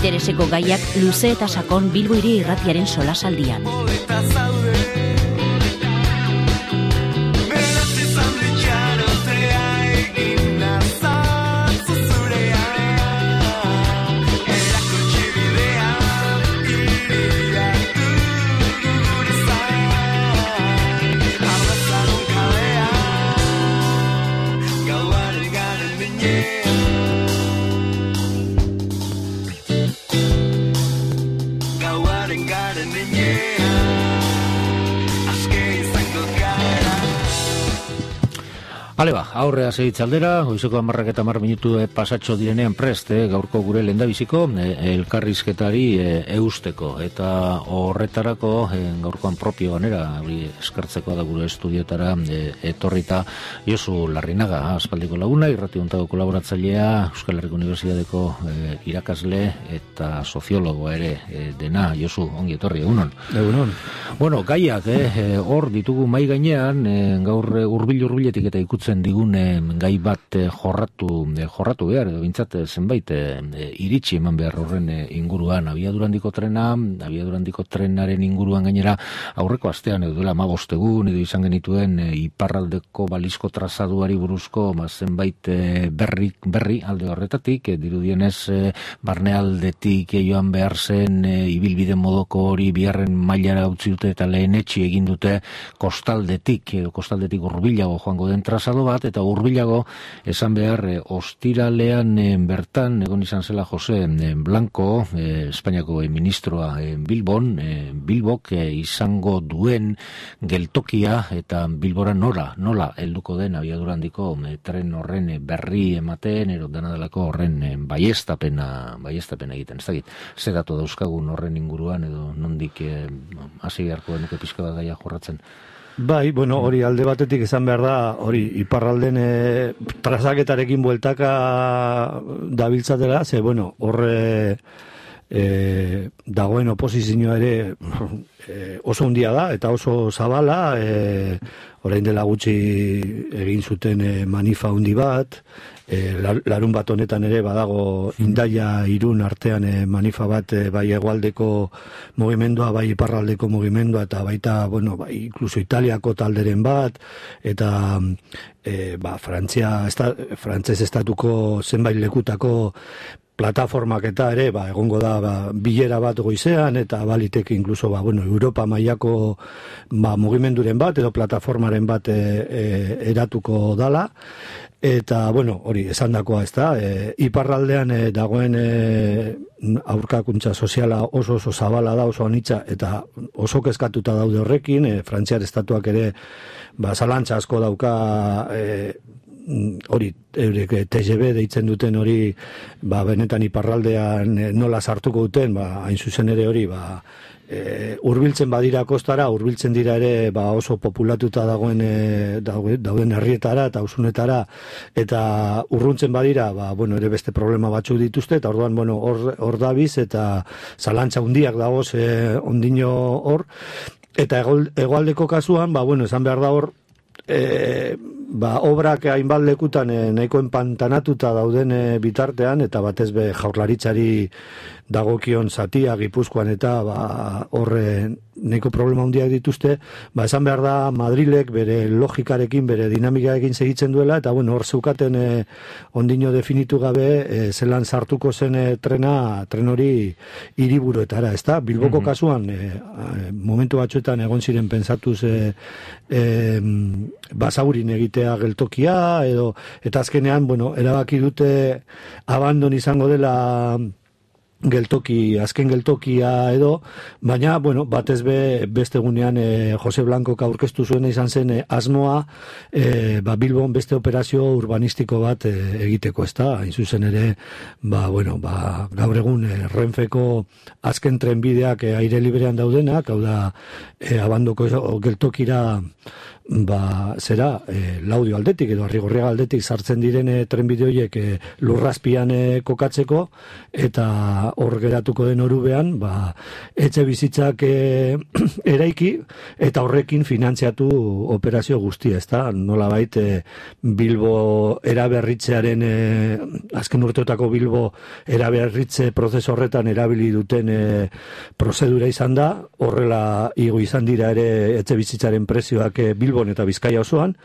Intereseko gaiak luze eta sakon Bilbo Hiri Irratiaren solasaldian. Hale ba, aurrea segitzaldera, goizeko 10:10 minutu pasatxo direnean prest, gaurko gure lehendabiziko elkarrizketari eusteko. Eta horretarako gaurkoan propio ganera, eskertzeko da gure estudiotara etorrita Josu Larrinaga, aspaldiko laguna, irrati honetako kolaboratzailea, Euskal Herriko Unibertsitateko irakasle eta soziologoa ere dena. Josu, ongi etorri, egunon. Egunon. Bueno, gaiak, hor ditugu mai gainean, gaur hurbiletik eta ikutzen digune gai bat jorratu behar, edo bintzat zenbait iritsi eman behar horren inguruan, abiadurandiko trenaren inguruan gainera aurreko astean edo dela 15 egun edo izan genituen iparraldeko balizko trazaduari buruzko zenbait berri alde horretatik, dirudienez barnealdetik joan behar zen ibilbide modoko hori biharren mailara utzi dute eta lehenetsi egin dute kostaldetik hurbilago joango den trazadu bat, eta hurbilago esan behar ostiralean bertan egon izan zela Jose Blanco, Espainiako ministroa Bilbok izango duen geltokia eta Bilbora nola helduko den abiadurandiko tren horren berri ematen, ero dena delako horren baiestapena egiten. Ez dakit, zer datu dauzkagun horren inguruan edo nondik hasi beharko denuke pixka bat gaia jorratzen. Bai, bueno, hori alde batetik esan behar da, hori iparralden trazaketarekin bueltaka dabiltzatela, ze, bueno, horre dagoen oposizioa ere oso handia da, eta oso zabala, orain dela gutxi egin zuten manifa handi bat, larun bat honetan ere badago Indaia Irun artean manifa bat, bai hegoaldeko mugimendua, bai iparraldeko mugimendua, eta baita, bueno, bai inkluso Italiako talderen bat, eta frantzes estatuko zenbait lekutako plataformak eta ere, egongo da bilera bat goizean, eta baliteke inkluso, Europa mailako mugimenduren bat, edo plataformaren bat eratuko dala, eta, hori, esandakoa ez da, iparraldean dagoen aurkakuntza soziala oso zabala da, oso anitza, eta oso kezkatuta daude horrekin, Frantziar estatuak ere, zalantza asko dauka, hori, TGV deitzen duten hori, benetan iparraldean nola sartuko duten, hain zuzen ere hori, hurbiltzen badira kostara, hurbiltzen dira ere oso populatuta dauden herrietara eta ausunetara, eta urruntzen badira, ere beste problema batzuk dituzte, eta orduan, hor dabiz, eta zalantza hundiak dagoz ondino hor, eta hegoaldeko kasuan, esan behar da hor, obrak hainbat lekutan nahiko enpantanatuta dauden bitartean, eta batez be jaurlaritzari dagokion zatia Gipuzkoan eta horre nahiko problema handiak dituzte, esan behar da Madrilek bere logikarekin, bere dinamikarekin segitzen duela, eta hor zeukaten ondino definitu gabe zelan sartuko zen tren hori hiriburuetara, ez da? Bilboko kasuan momentu batzuetan egon ziren pentsatuz basaurin egitea geltokia, eta azkenean, erabaki dute abandon izango dela azken geltokia edo, baina, batez beste egunean Jose Blancok aurkeztu zuena izan zen asmoa Bilbon beste operazio urbanistiko bat egiteko, ez da, hain zuzen ere, gaur egun Renfeko azken trenbideak aire librean daudenak, hau da, abandoko geltokira zera, Laudio aldetik edo Arrigorriaga aldetik sartzen diren trenbide horiek lurrazpian kokatzeko, eta hor geratuko den orubean, etxe bizitzak eraiki, eta horrekin finantziatu operazio guztia, ezta? Nolabait Bilbo eraberritzearen, azken urteotako Bilbo eraberritze prozesu horretan erabili duten prozedura izan da, horrela igo izan dira ere etxe bizitzaren prezioak Bilbon eta Bizkaia osoan,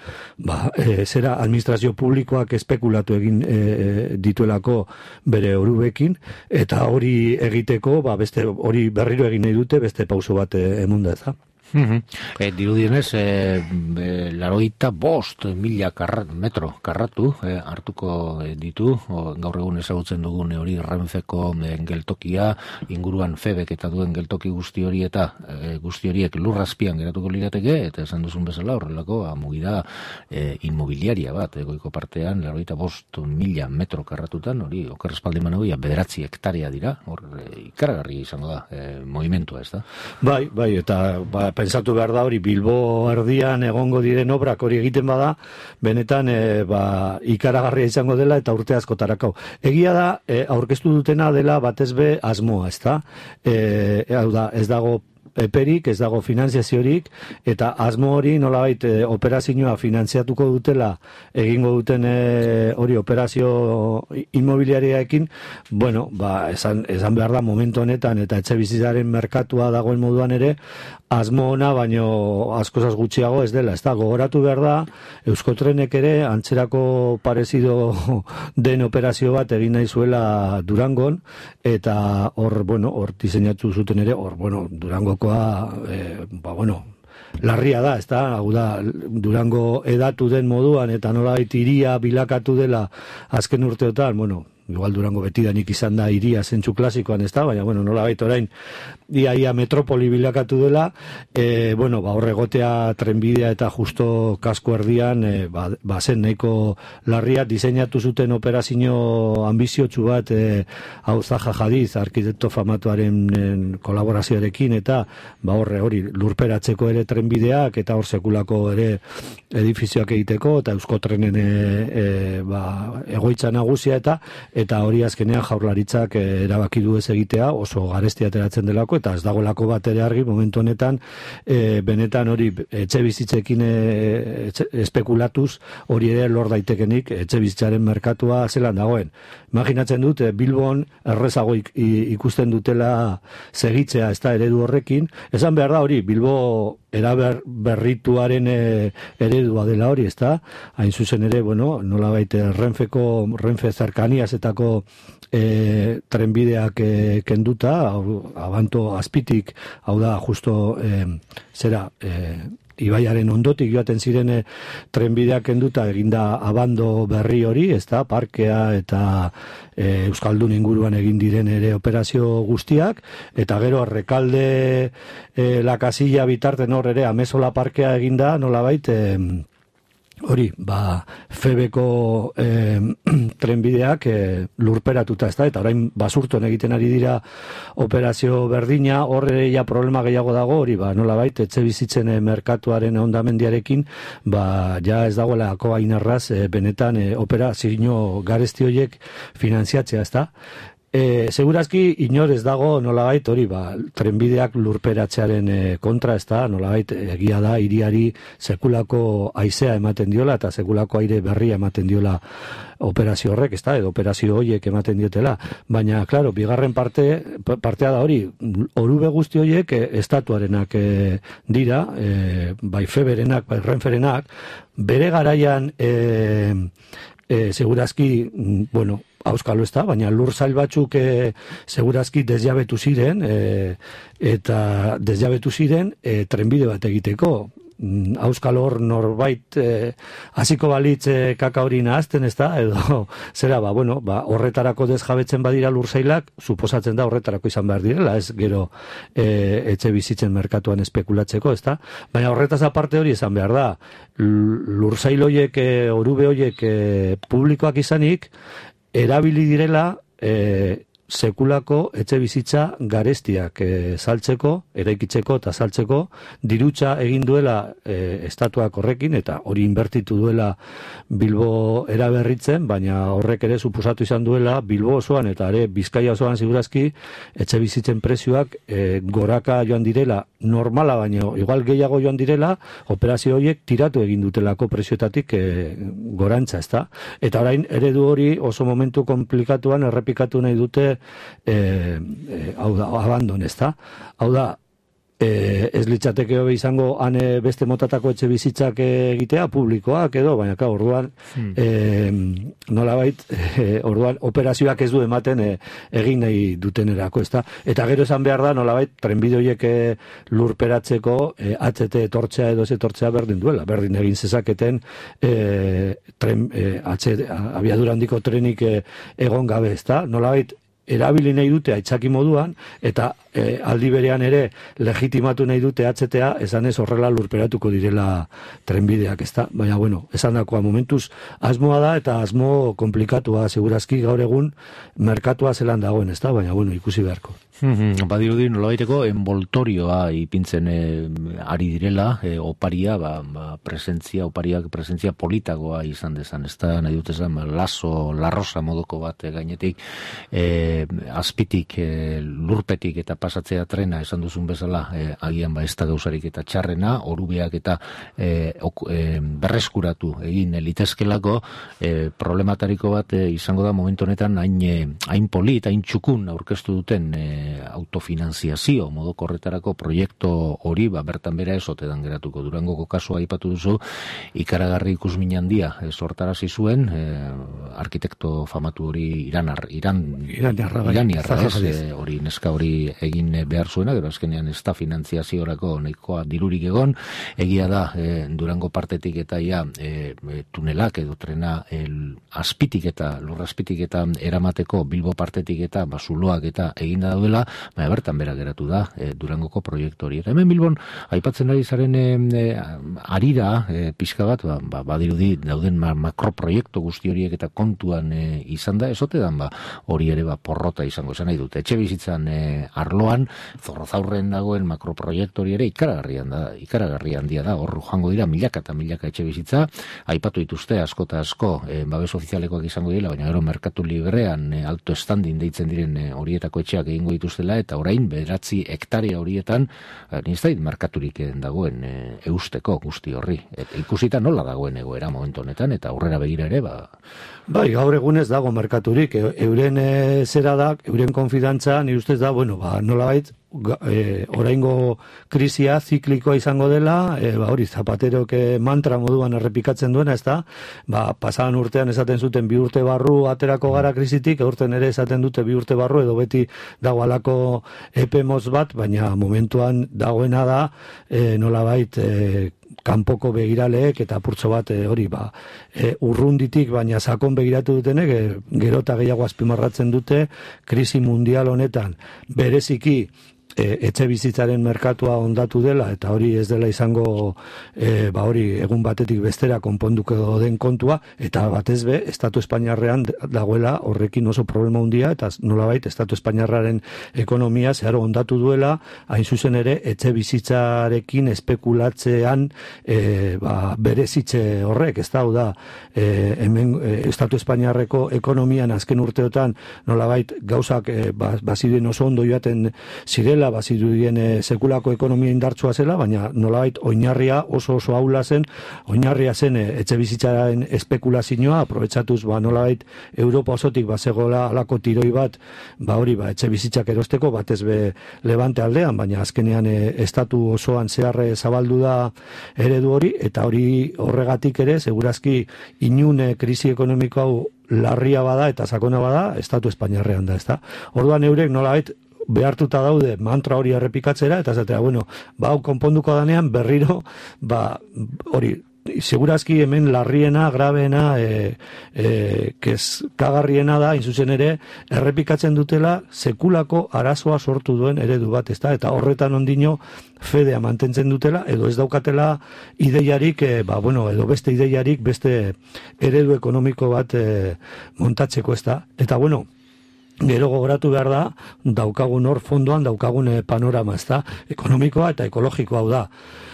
zera administrazio publikoak espekulatu egin dituelako bere orubekin, eta hori egiteko, beste hori berriro egin nahi dute, beste pauso bat emunda ez da. Dirudienez, 85.000 metro karratu hartuko ditu, gaur egun ezagutzen dugun hori Renfeko geltokia, inguruan Febek eta duen geltoki guzti hori eta guzti horiek lurrazpian geratuko lirateke, eta esan duzun bezala horrelako mugida inmobiliaria bat, goiko partean 85.000 metro karratutan, hori oker espaldiman hori 9 hektarea dira, hor ikaragarri izango da movimentua, ez da? Bai, eta pensatu behar da hori Bilbo erdian egongo diren obrak hori egiten bada, benetan ikaragarria izango dela eta urte askotarako. Egia da, aurkeztu dutena dela batez be asmoa, ezta? Hau da, ez dago eperik, ez dago finanziaziorik, eta asmo hori nolabait operazioa finanziatuko dutela egingo duten hori operazio inmobiliariaekin, esan behar da momentu honetan eta etxe bizitzaren merkatua dagoen moduan ere, asmo ona baino askozaz gutxiago ez dela, ez da, gogoratu behar da, Euskotrenek ere antzerako parezido den operazio bat egin nahi zuela Durangon, eta hor diseinatu zuten ere, Durangokoa, larria da, ez da, hau da, Durango edatu den moduan, eta nolabait hiria bilakatu dela azken urteotan, igual Durango betidanik izan da hiria zentzu klasikoan, ez da, baina, nolabait orain, ia metropoli bilakatu dela, horregotea trenbidea eta justo kasko erdian, zen nahiko larria, diseinatu zuten operazio ambiziotsu bat, hau Zaha Hadid, arkitekto famatuaren kolaborazioarekin, eta hori lurperatzeko ere trenbideak, eta hor sekulako ere edifizioak egiteko, eta Euskotrenen egoitza nagusia, eta hori azkenean Jaurlaritzak erabaki du ez egitea, oso garestia ateratzen delako, eta ez dagoelako bat ere argi momentu honetan, benetan hori etxe bizitzekin espekulatuz hori ere lor daitekenik etxe bizitzaren merkatua zelan dagoen. Imaginatzen dut, Bilbon errezago ikusten dutela segitzea, ez da, eredu horrekin, esan behar da hori, Bilbo eraberrituaren eredua dela hori, ez da, hain zuzen ere, nolabait Renfe zerkaniazetako trenbideak kenduta, abanto azpitik, hau da, justo, ibaiaren ondotik joaten ziren trenbideak kenduta eginda abando berri hori, ez da, parkea eta Euskaldun inguruan egin diren ere operazio guztiak, eta gero Rekalde La Casilla bitarten hor ere Amezola parkea eginda, nolabait, hori, Febeko trenbideak lurperatuta, ez da, eta orain basurton egiten ari dira operazio berdina, horre ja problema gehiago dago, hori, nolabait, etxe bizitzen merkatuaren ondamendiarekin, ja ez dagoelako hain erraz, benetan operazio garesti horiek finanziatzea, ez da. Segurazki inor ez dago nolabait hori trenbideak lurperatzearen kontra, ez da, nolabait egia da hiriari sekulako haizea ematen diola eta sekulako aire berria ematen diola operazio horrek, ez da, edo operazio horiek ematen diotela, baina, klaro, bigarren partea da hori, orube guzti horiek estatuarenak dira, bai Feberenak, bai Renferenak, bere garaian segurazki, auskalo ez da, baina lur zail batzuk segurazki desjabetu ziren, eta desjabetu ziren trenbide bat egiteko. Auskalo hor norbait hasiko balitz kaka hori nahazten, ez da, edo zera, horretarako desjabetzen badira lur zailak, suposatzen da horretarako izan behar direla, ez gero etxe bizitzen merkatuan espekulatzeko, ez da, baina horretaz aparte hori izan behar da, lur zail horiek, orube horiek publikoak izanik, erabili direla sekulako etxe bizitza garestiak saltzeko, eraikitzeko eta saltzeko, dirutza egin duela estatuak horrekin, eta hori inbertitu duela Bilbo eraberritzen, baina horrek ere suposatu izan duela Bilbo osoan eta ere Bizkaia osoan segurazki etxe bizitzen prezioak goraka joan direla, normala baino igual gehiago joan direla, operazio horiek tiratu egin dutelako prezioetatik gorantza, ezta? Eta orain eredu hori oso momentu komplikatuan errepikatu nahi dute hau da, abandon, ezta? Hau da, ez litzateke hobe izango beste motatako etxe bizitzak egitea, publikoak edo, baina orduan nolabait orduan operazioak ez du ematen egin nahi dutenerako, ezta? Eta gero esan behar da, nolabait trenbide horiek lurperatzeko HT etortzea edo ez etortzea berdin duela, berdin egin zezaketen abiadura handiko trenik egon gabe, ezta? Nolabait erabili nahi dute aitzaki moduan, eta aldi berean ere legitimatu nahi dute HTA, esan ez horrela lurperatuko direla trenbideak, ezta? Baina, bueno, esan dakoa momentuz asmoa da, eta asmo komplikatua, segurazki gaur egun merkatua zelan dagoen, ezta? Baina, bueno, ikusi beharko. Badirudi nolabaiteko envoltorioa ipintzen ari direla, oparia, opariak presentzia politagoa izan dezan, ez da, nahi dut esan, larrosa modoko bat gainetik, azpitik, lurpetik eta pasatzea trena, esan duzun bezala, agian ez da gauzarik eta txarrena, orubeak eta berreskuratu egin litezkelako, problematariko bat izango da momentu honetan hain polit, hain txukun aurkeztu duten autofinanziazio modoko horretarako proiektu hori, bertan bera ezotedan geratuko. Durangoko kasua aipatu duzu, ikaragarri ikusmin handia sortarazi zuen, arkitekto famatu hori iraniarra, hori neska hori egin behar zuena, gero azkenean ez da finantziaziorako nahikoa dirurik egon, egia da Durango partetik eta tunelak edo trena azpitik eta lurrazpitik eta eramateko Bilbo partetik eta zuloak eta eginda daudela, baina bertan bera geratu da Durangoko proiektu hori. Eta hemen Bilbon aipatzen ari zaren arira pixka bat, badirudi dauden makroproiektu guzti horiek eta kontuan izan da, ezote dan hori ere porrota izango izan nahi dute. Etxe bizitzan arloan, Zorrozaurren dagoen makroproiektu hori ere ikaragarri handia da, hor joango dira milaka eta milaka etxe bizitza, aipatu dituzte asko eta asko, babes ofizialekoak izango dira, baina gero merkatu librean alto standing deitzen diren horietako etxeak egingo dituztela, eta orain 9 hektarea horietan niztait markaturik dagoen eusteko guzti horri. Ikusita nola dagoen egoera momentu honetan, eta aurrera begira ere, Bai, gaur egunez dago merkaturik, euren zera da, euren konfidantza, nire ustez da, nolabait, oraingo krisia ziklikoa izango dela, hori Zapaterok mantra moduan errepikatzen duena, ez da, pasadan urtean esaten zuten 2 urte barru aterako gara krisitik, urten ere esaten dute 2 urte barru, edo beti dago alako epe motz bat, baina momentuan dagoena da, nolabait, kanpoko begiraleek eta apurtxo bat urrunditik, baina sakon begiratu dutenek, gero eta gehiago azpimarratzen dute, krisi mundial honetan bereziki etxe bizitzaren merkatua ondatu dela, eta hori ez dela izango hori egun batetik bestera konponduko den kontua, eta batez be, Estatu Espainiarrean dagoela horrekin oso problema handia, eta nolabait Estatu Espainiarraren ekonomia zeharo ondatu duela, hain zuzen ere etxe bizitzarekin espekulatzean berezitze horrek, ez da, hemen Estatu Espainiarreko ekonomian azken urteotan nolabait gauzak baziruen oso ondo joaten zirela, bazirudien sekulako ekonomia indartsua zela, baina nolabait oinarria oso ahula zen, oinarria zen etxe bizitzaren espekulazioa, aprobetsatuz nolabait Europa osotik bazegoela alako tiroi bat, etxe bizitzak erosteko, batez be Levante aldean, baina azkenean estatu osoan zeharre zabaldu da eredu hori, eta hori horregatik ere, segurazki inun krisi ekonomiko hau larria bada eta sakona bada, Estatu Espainiarrean da, ezta? Orduan eurek nolabait behartuta daude mantra hori errepikatzera, eta zatea, hau konponduko danean berriro, hori, segurazki hemen larriena, grabeena, kezkagarriena da, inzuzen ere, errepikatzen dutela sekulako arazoa sortu duen eredu bat, ezta? Eta horretan ondino fedea mantentzen dutela, edo ez daukatela ideiarik, edo beste ideiarik, beste eredu ekonomiko bat montatzeko, ezta? Eta Gero gogoratu behar da, daukagun hor fondoan, daukagun panorama, ez da, ekonomikoa eta ekologikoa hau da.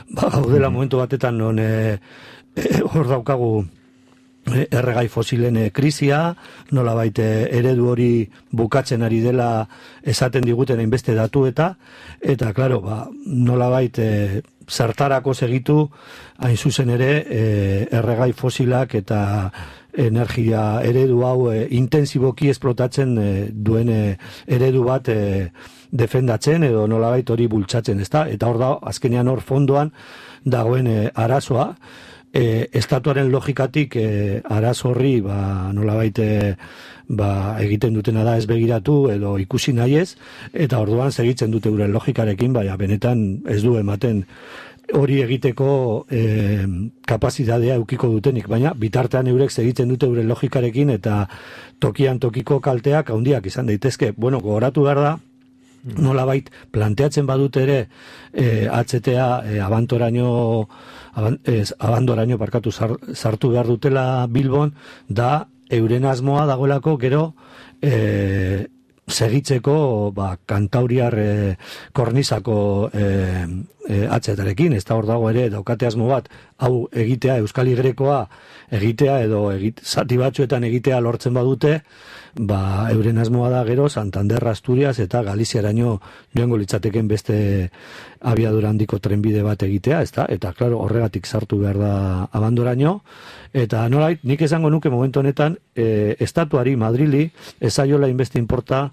Gaudela momentu batetan non hor daukagu erregai fosilen krisia, nolabait eredu hori bukatzen ari dela esaten diguten hainbeste datu eta claro, nolabait zertarako segitu hain zuzen ere erregai fosilak eta energia eredu hau intensiboki esplotatzen duen eredu bat defendatzen edo nolabait hori bultzatzen, ezta? Eta hor da, azkenean hor fondoan dagoen arazoa, estatuaren logikatik arazo horri nolabait egiten dutena da ez begiratu edo ikusi nahi ez, eta orduan segitzen dute euren logikarekin, baina benetan ez du ematen hori egiteko kapazitatea eukiko dutenik, baina bitartean eurek segitzen dute euren logikarekin eta tokian tokiko kalteak handiak izan daitezke. Bueno, gogoratu behar da, nolabait planteatzen badute ere HTA abandoraino sartu behar dutela Bilbon, da euren asmoa dagoelako gero segitzeko kantauriar kornizako HTA-rekin, ez da hor dago ere daukate asmo bat, hau egitea, Euskal Igrekoa egitea edo zati batzuetan egitea lortzen badute, euren asmoa da gero Santander, Asturias eta Galiziaraino joango litzateken beste abiadura handiko trenbide bat egitea, ezta? Eta claro, horregatik sartu behar da abandoraino, eta nolait, nik esango nuke momentu honetan estatuari, Madrili, ezaiola inbeste inporta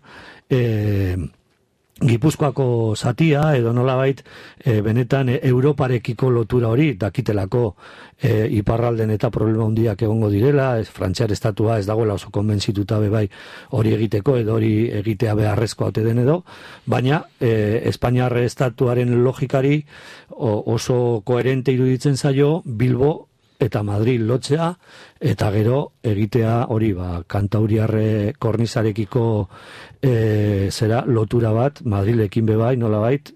Gipuzkoako zatia edo nolabait benetan Europarekiko lotura hori dakitelako iparralden eta problema handiak egongo direla, Frantziar estatua ez dagoela oso konbentzituta bai hori egiteko edo hori egitea beharrezkoa ote den edo, baina Espainiar estatuaren logikari oso koherente iruditzen zaio Bilbo eta Madrid lotzea, eta gero egitea hori kantauriarre kornizarekiko lotura bat Madrilekin bebai nolabait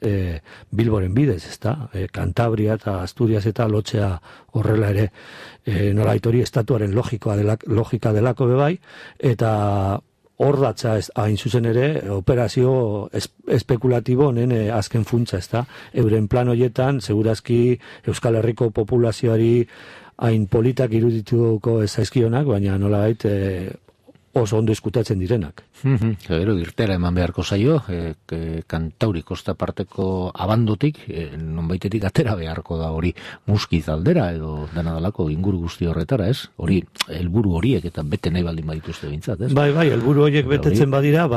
Bilboren bidez, ezta? Cantabria eta Asturias eta lotzea horrela ere nolabait hori estatuaren logika delako bebai, eta hor datza hain zuzen ere operazio espekulatibo honen azken funtsa, ezta? Euren plan hoietan, segurazki Euskal Herriko populazioari hain politak irudituko ezaizkionak, baina nolabait oso ondo eskutatzen direnak. Gero irtera eman beharko zaio, Kantauri kosta parteko abandotik, nonbaitetik atera beharko da hori Muskiz aldera edo dena dalako inguru guzti horretara, ez? Hori, helburu horiek eta bete nahi baldin badituzte bintzat, ez? Bai, helburu horiek betetzen badira,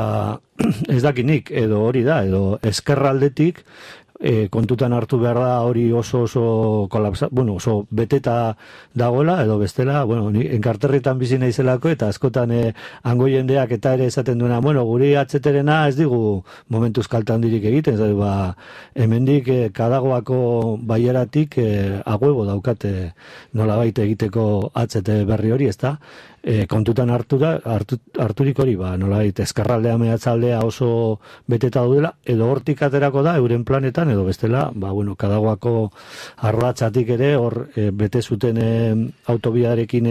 ez dakinik, edo hori da, edo eskerraldetik, kontutan hartu behar da hori oso oso beteta dagoela, edo bestela, ni enkarterritan bizi naizelako eta askotan hango jendeak eta ere esaten duena, guri atzeterena ez digu momentuz kalte handirik egiten, hemendik Kadagoako baieratik aguebo daukate nolabait egiteko atzete berri hori, ezta? Kontutan harturik hori, nolabait eskerraldea mehatzaldea oso beteta daudela, edo hortik aterako da euren planetan, edo bestela, Kadagoako arratsatik ere hor bete zuten autobidarekin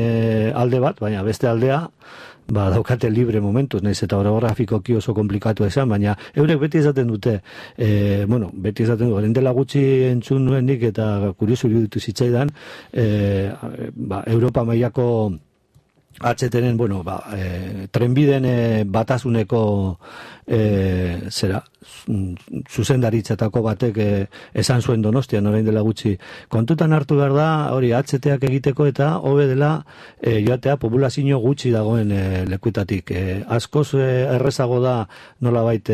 alde bat, baina beste aldea daukate libre momentuz, nahiz eta orografikoki oso komplikatu esan, baina eurek beti esaten dute, beti esaten dute, dela gutxi entzun nuenik eta kuriosu iruditu zitzaidan, Europa mailako HTren, trenbiden batasuneko zuzendaritzatako batek esan zuen Donostian orain dela gutxi. Kontutan hartu behar da, hori HTak egiteko eta hobe dela joatea populazio gutxi dagoen lekuetatik. Askoz errezago da nolabait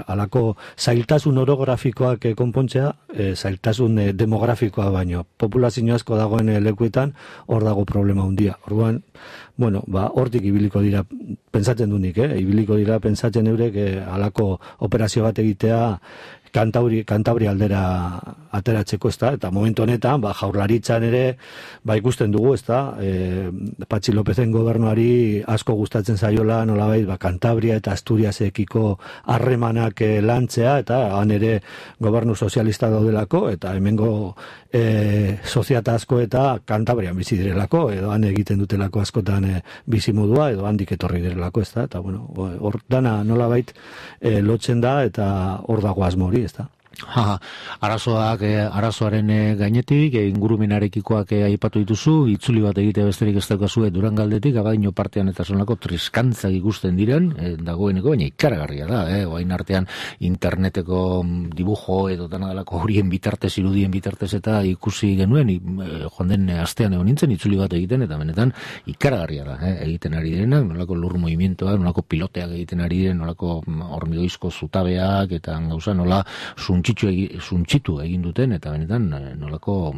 alako zailtasun orografikoak konpontzea, zailtasun demografikoa baino. Populazio asko dagoen lekuetan hor dago problema handia. Orduan, hortik ibiliko dira, pentsatzen dunik, ibiliko dira pentsatzen eurek halako operazio bat egitea Kantabria aldera ateratzeko, ezta, eta momentu honetan, jaurlaritzan ere, ikusten dugu, ezta, Patxi Lopezen gobernuari asko gustatzen zaiola, nolabait, Kantabria eta Asturiasekiko harremanak lantzea, eta han ere gobernu sozialista daudelako, eta hemengo soziata asko eta Kantabrian bizi direlako, edo han egiten dutelako askotan bizimodua, edo handik etorri direlako, ezta, eta bueno, hor dana nolabait lotzen da, eta hor dago asmo hori, ezta. Arazoaren gainetik, ingurumenarekikoak aipatu dituzu, itzuli bat egite besterik ez daukazu Durangaldetik, abadaino partean eta zonako triskantzak ikusten diren, dagoeneko, baina ikaragarria da, oain artean interneteko dibujo edo danadalako horien bitartez, irudien bitartez eta ikusi genuen, joan den astean egon nintzen, itzuli bat egiten, eta benetan ikaragarria da, egiten ari direnak, nolako lur movimientoak, nolako piloteak egiten ari diren, nolako hormigoizko zutabeak, eta gauza nola suntxitu egin duten, eta benetan nolako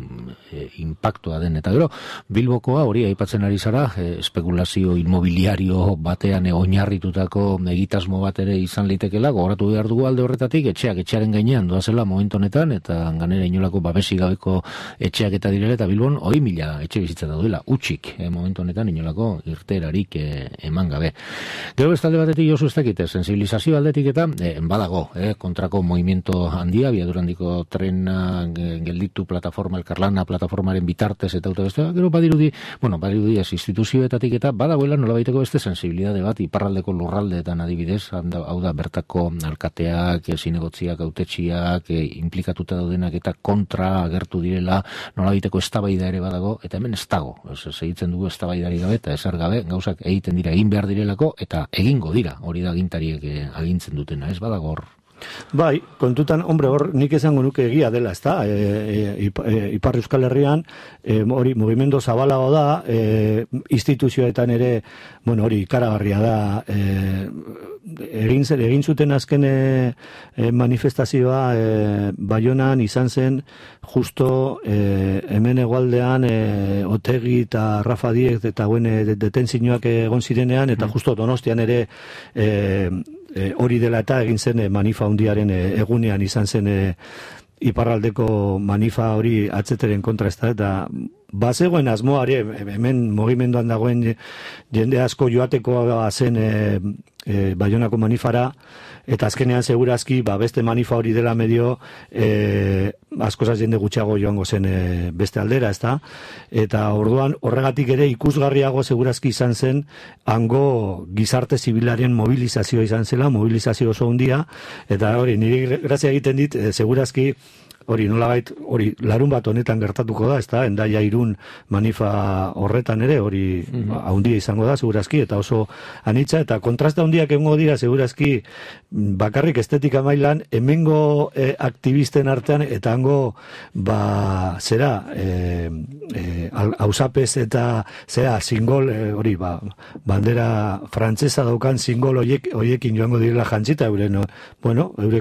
impactua den. Eta gero, Bilbokoa hori aipatzen ari zara, espekulazio inmobiliario batean oinarritutako egitasmo bat ere izan litekela, gogoratu behar dugu alde horretatik, etxearen gainean doazela momentu honetan, eta ganera inolako babesi gabeko etxeak eta direla, eta Bilbon 100.000 etxe bizitza daudela, utxik, momentu honetan inolako irterarik eman gabe. Gero bestalde batetik Josu ez dakite, sensibilizazio aldetik eta badago, kontrako movimiento handia, Abiadurandiko trena gelditu plataforma, elkarlana plataformaren bitartez eta autobestea, gero badirudi instituzioetatik eta badagoela nolabaiteko beste sensibilidade bat, iparraldeko lurraldeetan adibidez, hau da bertako alkateak, zinegotziak, autetxiak, implikatuta daudenak eta kontra agertu direla, nolabaiteko eztabaida ere badago, eta hemen ez dago, segitzen dugu eztabaidari gabe eta ezer gabe, gauzak egiten dira, egin behar direlako, eta egingo dira, hori da agintariek agintzen dutena, ez badago hor. Bai, kontutan, hor nik esango nuke egia dela, ezta? Ipar Euskal Herrian, hori mugimendu zabalago da, instituzioetan ere, hori ikaragarria da, egin zuten azken manifestazioa Baionan izan zen justo hemen hegoaldean Otegi eta Rafa Diez eta detenzioak egon zirenean, eta justo Donostian ere hori dela eta egin zen manifa hundiaren egunean izan zen iparraldeko manifa hori atzeteren kontra, ez da, eta bazegoen asmoari, hemen mugimenduan dagoen jende asko joateko zen Baionako manifara, eta azkenean segurazki beste manifa hori dela medio askozaz jende gutxiago joango zen beste aldera, ezta? Eta orduan horregatik ere ikusgarriago segurazki izan zen hango gizarte zibilaren mobilizazioa izan zela, mobilizazio oso handia, eta hori niri grazia egiten dit segurazki hori nolabait, hori larun bat honetan gertatuko da, ezta, Hendaia Irun manifa horretan ere, hori handia izango da, segurazki, eta oso anitza, eta kontrasta handiak egongo dira, segurazki, bakarrik estetika mailan, hemengo aktivisten artean, eta hango, zera, hausapez eta, zera, singol, hori, bandera frantzesa daukan singol hoiekin joango direla jantzita, eure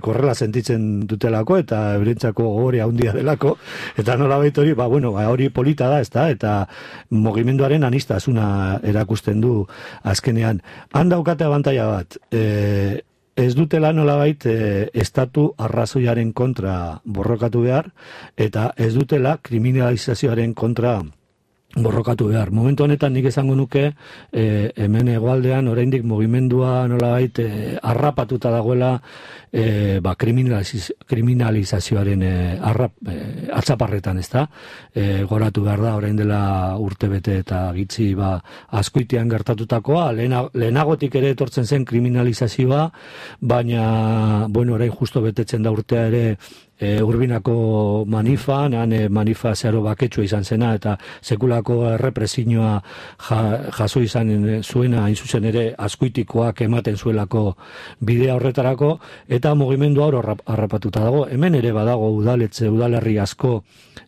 korrela sentitzen dutelako, eta eurentzako hori handia delako, eta nolabait hori, hori polita da, ezta, eta mugimenduaren anistasuna erakusten du azkenean. Han daukate abantaila bat, ez dutela nolabait estatu arrazoiaren kontra borrokatu behar, eta ez dutela kriminalizazioaren kontra borrokatu behar. Momentu honetan nik esango nuke hemen hegoaldean oraindik mugimendua nolabait harrapatuta dagoela kriminalizazioaren atzaparretan, ezta? Goratu behar da orain dela urtebete eta gitzi askoitean gertatutakoa, lehenagotik ere etortzen zen kriminalizazioa, baina orain justo betetzen da urtea ere Urbinako manifan, manifa zeharo baketsua izan zena, eta sekulako errepresioa jaso izan zuena, hain zuzen ere, azkuitikoak ematen zuelako bidea horretarako, eta mugimendu hor harrapatuta dago. Hemen ere badago udalerri asko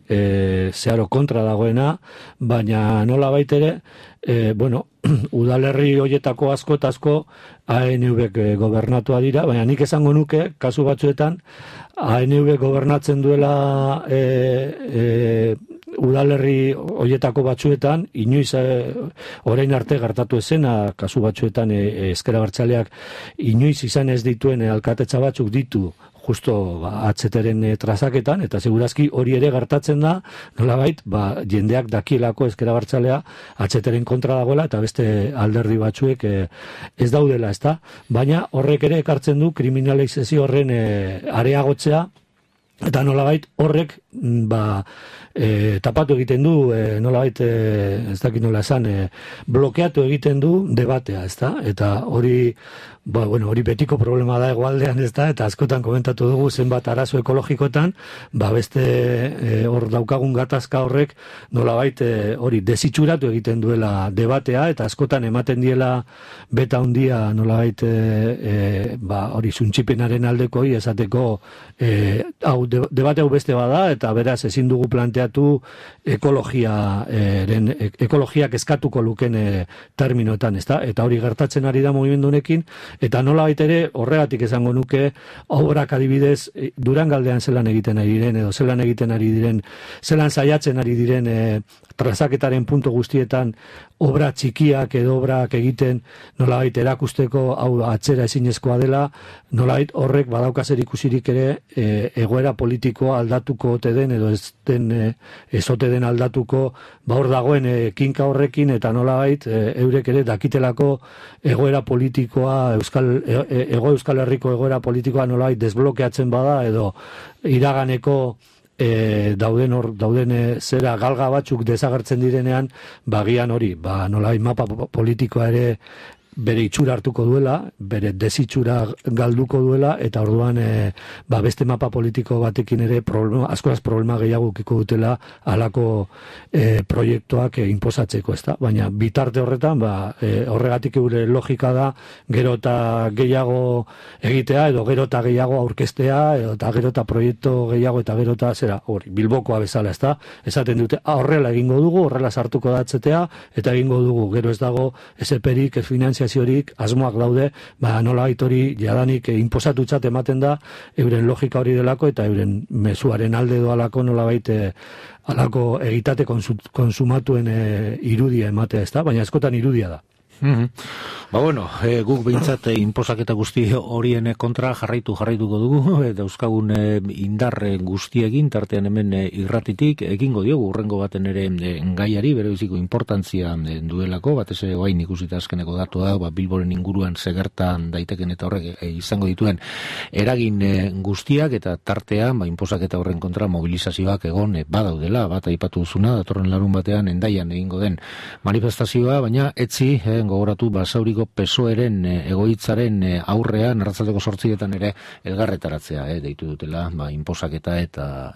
zeharo kontra dagoena, baina nola baitere, udalerri hoietako asko eta asko ANV gobernatua dira, baina nik esango nuke, kasu batzuetan, ANV gobernatzen duela udalerri hoietako batzuetan, inoiz orain arte gertatu ezena, kasu batzuetan ezker abertzaleak inoiz izan ez dituen alkatetza batzuk ditu, justo atzeteren trazaketan, eta segurazki hori ere gertatzen da, nolabait, jendeak dakielako ezker abertzalea atzeteren kontra dagoela, eta beste alderdi batzuek ez daudela, ezta? Baina horrek ere ekartzen du kriminalizazio horren areagotzea, eta nolabait horrek tapatu egiten du, nolabait ez dakit nola esan, blokeatu egiten du debatea, ezta? Eta hori hori betiko problema da hegoaldean, ezta? Eta askotan komentatu dugu zenbat arazo ekologikotan, beste hor daukagun gatazka horrek nolabait hori desitxuratu egiten duela debatea, eta askotan ematen diela beta handia nolabait hori zuntxipenaren aldekoi esateko debate hau beste bada, eta beraz ezin dugu planteatu ekologiak eskatuko luken terminoetan, ezta? Eta hori gertatzen ari da mugimendu honekin, eta nolabait ere horregatik esango nuke obrak adibidez Durangaldean zelan egiten ari diren, edo zelan egiten ari diren, zelan saiatzen ari diren trazaketaren puntu guztietan obra txikiak edo obrak egiten nolabait erakusteko hau atzera ezinezkoa dela, nolabait horrek badaukazer ikusirik ere egoera politikoa aldatuko ote den edo ez ote den aldatuko hor dagoen kinka horrekin, eta nolabait eurek ere dakitelako egoera politikoa Euskal Herriko egoera politikoa nolabait desblokeatzen bada edo iraganeko dauden zera galga batzuk desagertzen direnean, bagian hori, nolabait mapa politikoa ere bere itxura hartuko duela, bere desitxura galduko duela, eta orduan beste mapa politiko batekin ere askoraz problema gehiago ukiko dutela halako proiektuak inposatzeko, ezta? Baina bitarte horretan, horregatik gure logika da gero eta gehiago egitea, edo gero eta gehiago aurkeztea, eta gero eta proiektu gehiago, eta gero eta hori, Bilbokoa bezala, ezta? Esaten dute, horrela egingo dugu, horrela sartuko da atzetea, eta egingo dugu, gero ez dago SP-rik, finanziaziorik, asmoak daude, nolabait hori jadanik inposatutzat ematen da, euren logika hori delako, eta euren mezuaren alde doalako nolabait alako egitate konsumatuen irudia ematea, ezta? Baina askotan irudia da. Guk behintzat inposaketa guzti horien kontra jarraituko dugu, dauzkagun indar guztiekin, tartean hemen irratitik, egingo diogu urrengo baten ere gaiari, bere biziko importantzia duelako, batez oain ikusita azkeneko datua, Bilboren inguruan segertan daiteken eta horrek izango dituen eragin guztiak, eta tartean inposaketa horren kontra mobilizazioak egon badaudela, bat aipatu duzuna, datorren larun batean Hendaian egingo den manifestazioa, baina etzi gogoratu Basauriko PSOEren egoitzaren aurrean arratsaldeko 8etan ere elgarretaratzea deitu dutela, inposaketa eta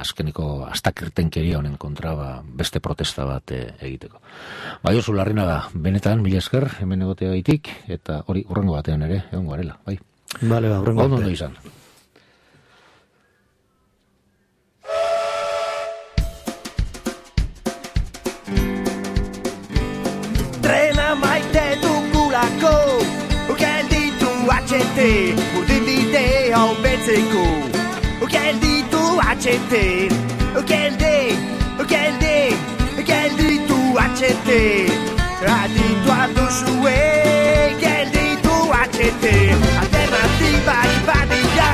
azkeneko astakirtenkeria honen kontra beste protesta bat egiteko. Josu Larrinaga, benetan mila esker hemen egoteagaitik, eta hori urrengo batean ere egongo garela, bai. Vale, urrengo ondo izan. Gelditu atxete, urdinbide hau betzeko. Gelditu atxete, gelditu atxete. Aditua duzue, gelditu atxete. Alternatibak badira,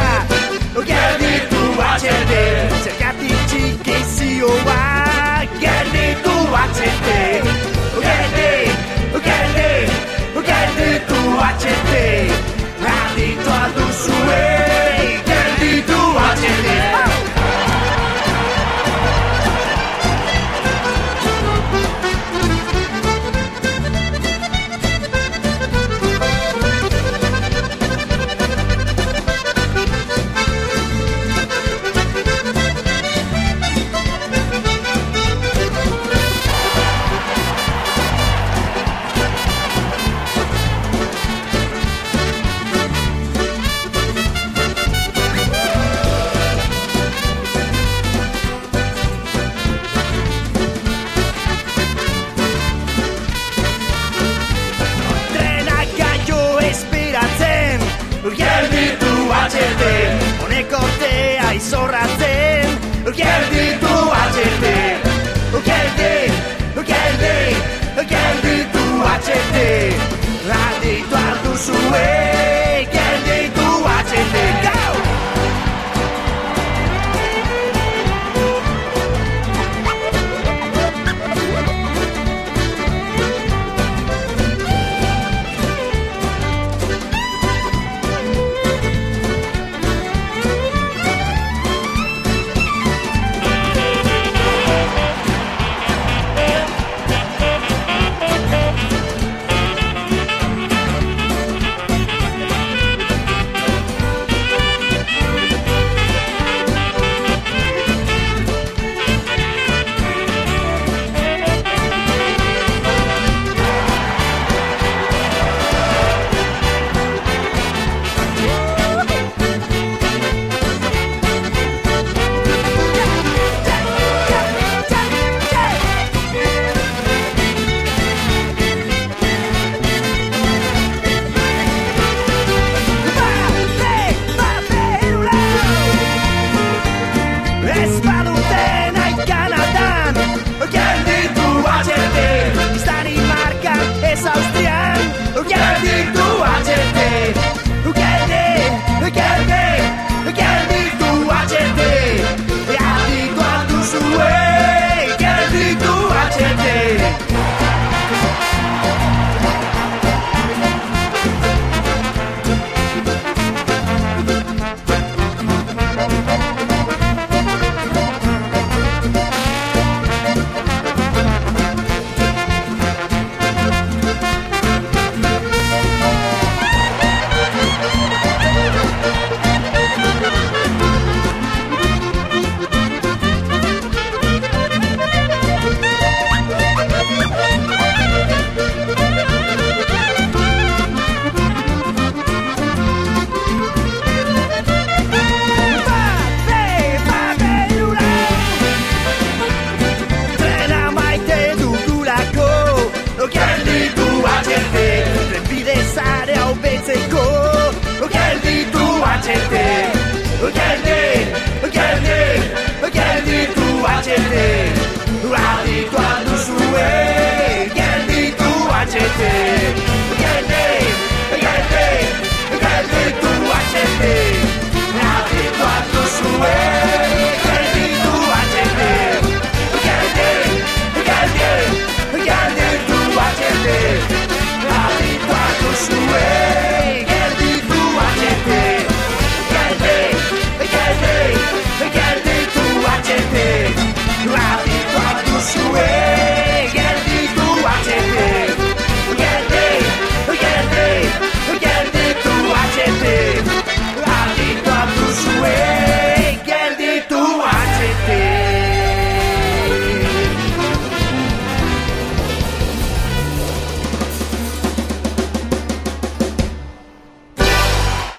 gelditu atxete. Zergatik txikizioa, gelditu atxete. Gelditu atxete, aditua duzue, gelditu atxete. Honek ortea izorratzen, gelditu atxete. HT